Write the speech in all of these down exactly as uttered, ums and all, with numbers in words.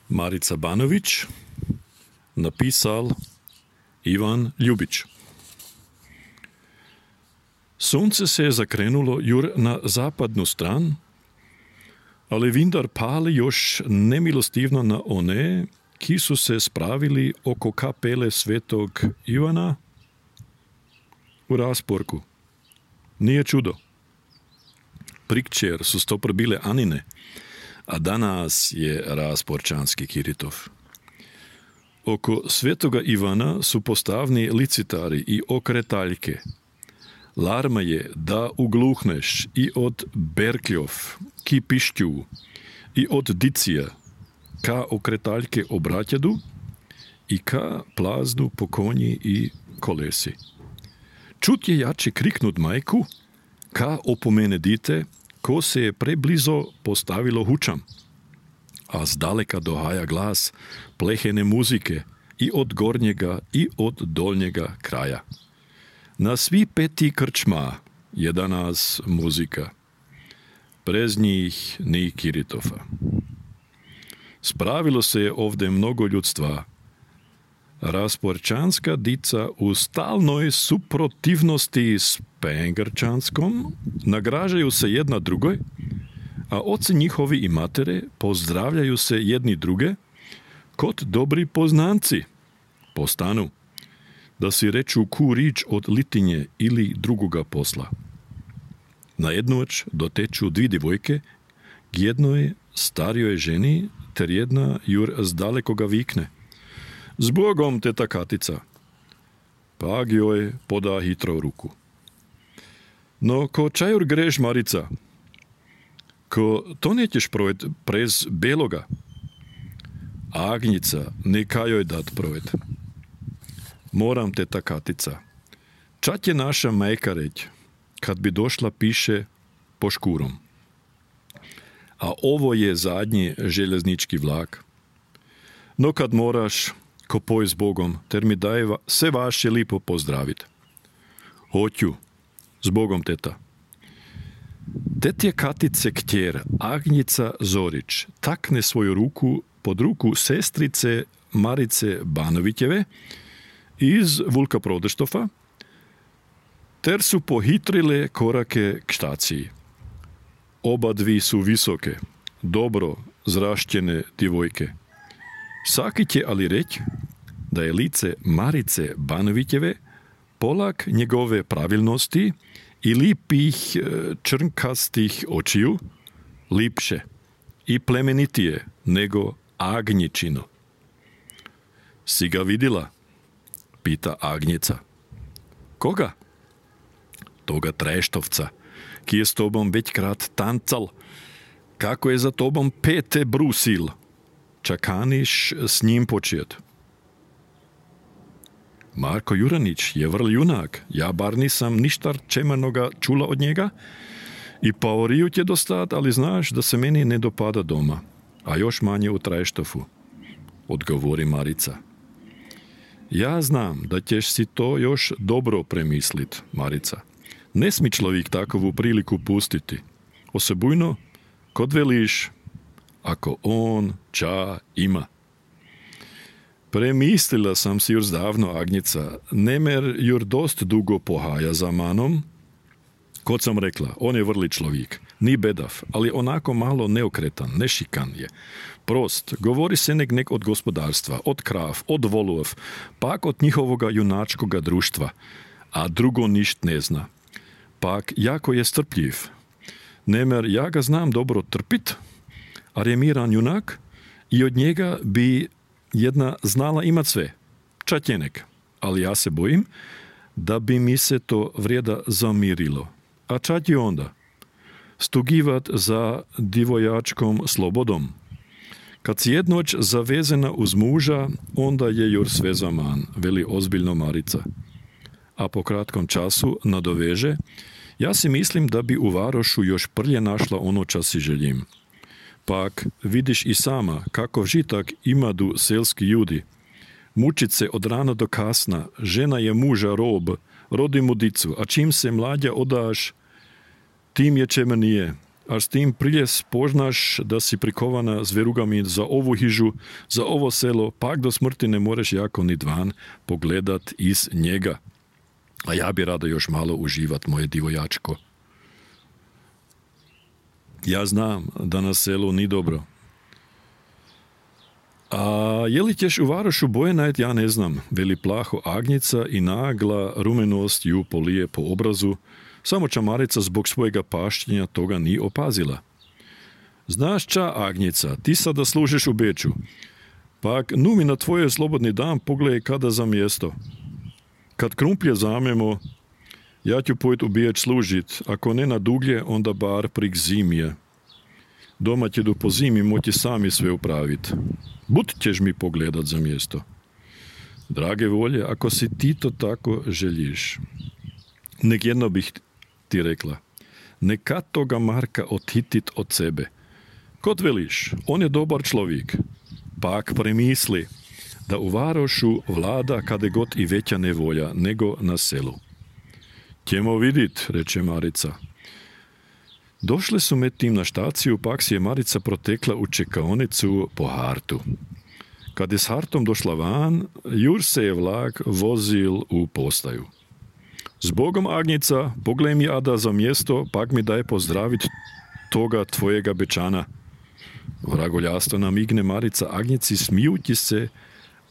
Marica Banović, napisal Ivan Ljubić. Sunce se je zakrenulo jur na zapadnu stran, ali vindar pali još nemilostivno na one, ki su se spravili oko kapele svetog Ivana u rasporku. Nije čudo. Prikčer su stopr bile Anine, a danas je rasporčanski Kiritov. Oko svetoga Ivana su postavni licitari i okretaljke. Larma je da ugluhneš i od berkljov, ki pišťu, i od dicija, ka okretaljke obratjadu i ka plaznu po konji i kolesi. Čut je jače kriknut majku, ka opomene dite, ko se je preblizo postavilo hučam, a zdaleka dohaja glas plehene muzike i od gornjega i od dolnjega kraja. Na svi peti krčma je danas muzika. Prez njih ni Kiritofa. Spravilo se je ovdje mnogo ljudstva. Rasporčanska dica u stalnoj suprotivnosti s Pengrčanskom nagražaju se jedna drugoj, a oci njihovi i matere pozdravljaju se jedni druge kot dobri poznanci po stanu, da si reču ku rič od litinje ili drugoga posla. Na jednoć doteču dvi divojke k jednoj starijoj ženi, ter jedna jur z dalekoga vikne. S Bogom, teta Katica. Pak joj poda hitro ruku. No, ko čajur greš, Marica? Ko to nećeš projed prez beloga? Agnica, neka joj dat projed. Moram, teta Katica. Čat je naša majka reć, kad bi došla piše po škurom. A ovo je zadnji željeznički vlak. No kad moraš, ko poj s Bogom, ter mi daj va, se vaše lipo pozdravit. Hoću, s Bogom, teta. Tetje Katice ktjer, Agnica Zorić, takne svoju ruku pod ruku sestrice Marice Banovićeve iz Vulka Prodeštofa, ter su pohitrile korake k štaciji. Oba dvi su visoke, dobro zrašćene divojke. Saki će ali reć da je lice Marice Banovićeve polak njegove pravilnosti i lipih črnkastih očiju lipše i plemenitije nego Agnjičino. Si ga vidjela? Pita Agnica. Koga? Toga Treštovca, ki je s tobom već krat tancal, kako je za tobom pete brusil. Čakaniš s njim počet. Marko Juranić je vrl junak, ja bar nisam ništa čemanoga čula od njega i paoriju će dostat, ali znaš da se meni ne dopada doma, a još manje u Treštofu, odgovori Marica. Ja znam da ćeš si to još dobro premislit, Marica. Ne smi človik takovu priliku pustiti. Osebujno, kod veliš, ako on ča ima. Premislila sam si jur zdavno, Agnica, nemer jur dost dugo pohaja za manom. Kod sam rekla, on je vrli človik, ni bedav, ali onako malo neokretan, nešikan je. Prost, govori se nek nek od gospodarstva, od krav, od volov, pak od njihovoga junačkoga društva, a drugo ništ ne zna. Pak jako je strpljiv. Nemer ja ga znam dobro trpit, a je miran junak i od njega bi jedna znala imat sve, čatjenek, ali ja se bojim da bi mi se to vrijeda zamirilo. A čat je onda? Stugivat za divojačkom slobodom. Kad si jednoć zavezena uz muža, onda je jur sve zaman, veli ozbiljno Marica. A po kratkom času nadoveže, ja si mislim da bi u Varošu još prlje našla ono čas si željim. Pak vidiš i sama kakov žitak imadu selski ljudi. Mučit se od rana do kasna, žena je muža rob, rodi mu dicu, a čim se mlađa odaš, tim je čemenije, a s tým prije spoznaš da si prikovana s verugami za ovu hižu, za ovo selo, pak do smrti ne moreš jako ni dvan pogledat iz njega. A ja bi rado još malo uživat, moje divojačko. Ja znam da na selu ni dobro. A je li ćeš u varošu boje najt, ja ne znam, veli plaho Agnjica i nagla rumenost ju polije po obrazu, samo čamarica zbog svojega pašćenja toga ni opazila. Znaš ča, Agnjica, ti sada služiš u Beču, pak nu mi na tvoje slobodni dan pogledaj kada za mjesto. Kad krumplje zamemo, ja ću pojít u Beč služit, ako ne na duglje, onda bar prik zimije. Doma će do po zimi moći sami sve upravit. Bud ćeš mi pogledat za mjesto. Drage volje, ako si ti to tako želiš. Nek jedno bih ti rekla. Neka toga Marka odhitit od sebe. Kod veliš, on je dobar človik. Pak premisli da u varošu vlada kade god i veća nevolja nego na selu. Ćemo vidit, reče Marica. Došli su med tim na štaciju, pak si je Marica protekla u čekaonicu po hartu. Kad je s hartom došla van, jur se je vlak vozil u postaju. Zbogom, Agnjica, pogledaj mi ada za mjesto, pak mi daj pozdravit toga tvojega Bečana. Vragoljasto namigne Marica Agnjici smijući se,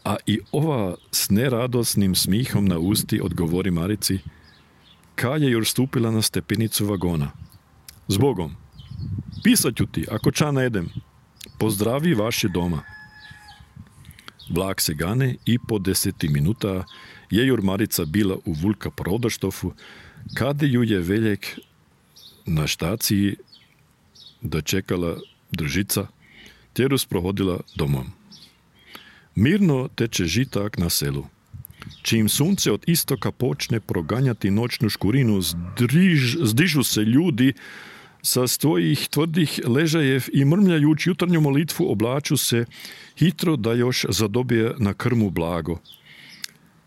a i ova s neradosnim smihom na usti odgovori Marici, kad je jur stupila na stepenicu vagona. Zbogom, pisat ću ti, ako ča ne idem, pozdravi vaši doma. Vlak se gane i po deseti minuta je jur Marica bila u Vulka Prodaštofu, kada ju je veljek na štaciji dočekala držica, tjeru sprohodila domom. Mirno teče žitak na selu. Čim sunce od istoka počne proganjati noćnu škurinu, zdriž, zdižu se ljudi sa svojih tvrdih ležajev i mrmljajući jutarnju molitvu oblaču se hitro da još zadobije na krmu blago,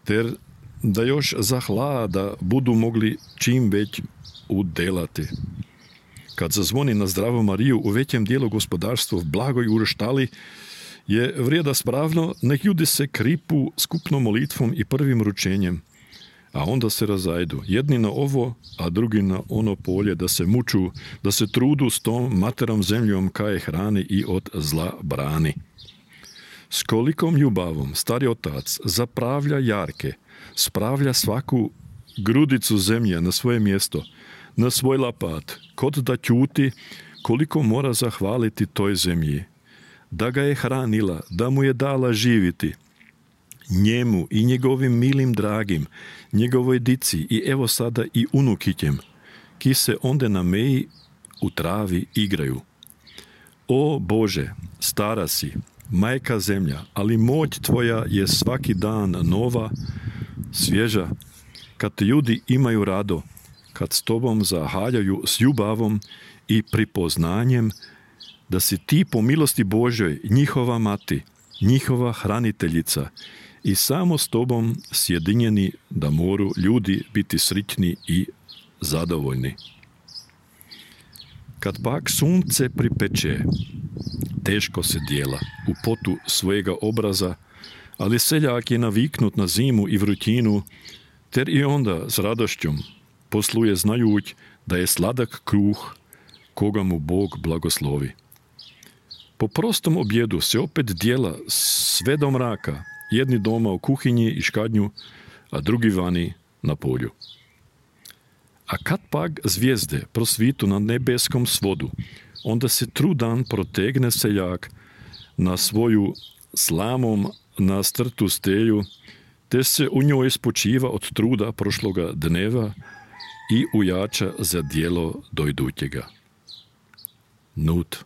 ter da još za hlada budu mogli čim već udelati. Kad zazvoni na zdravu Mariju u većem dijelu gospodarstva v blagoj urštali, je vrijeda spravno, nek ljudi se kripu skupnom molitvom i prvim ručenjem, a onda se razajdu, jedni na ovo, a drugi na ono polje, da se muču, da se trudu s tom materom zemljom kaje hrani i od zla brani. S kolikom ljubavom stari otac zapravlja jarke, spravlja svaku grudicu zemlje na svoje mjesto, na svoj lapat, kod da ćuti koliko mora zahvaliti toj zemlji, da ga je hranila, da mu je dala živiti, njemu i njegovim milim dragim, njegovoj dici i evo sada i unukićem, ki se onde na meji u travi igraju. O Bože, stara si, majka zemlja, ali moć tvoja je svaki dan nova, svježa, kad te ljudi imaju rado, kad s tobom zahaljaju s ljubavom i pripoznanjem da si ti po milosti Božoj njihova mati, njihova hraniteljica i samo s tobom sjedinjeni da moru ljudi biti sritni i zadovoljni. Kad pak sunce pripeče, teško se dijela u potu svojega obraza, ali seljak je naviknut na zimu i vrućinu, ter i onda s radošćom posluje znajuć da je sladak kruh koga mu Bog blagoslovi. Po prostom objedu se opet dijela sve do mraka, jedni doma u kuhinji i škadnju, a drugi vani na polju. A kad pak zvijezde prosvitu na nebeskom svodu, onda se trudan protegne seljak na svoju slamom nastrtu stelju, te se u njoj spočiva od truda prošloga dneva i ujača za djelo dojdutjega. Nut.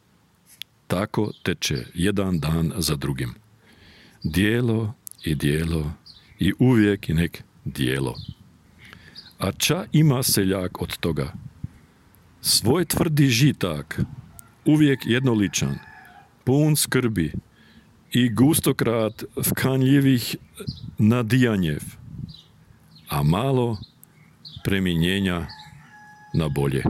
Tako teče jedan dan za drugim. Dijelo i dijelo i uvijek i nek dijelo. A ča ima seljak od toga? Svoj tvrdi žitak, uvijek jednoličan, pun skrbi i gustokrat vkanljivih nadijanjev, a malo preminjenja na bolje.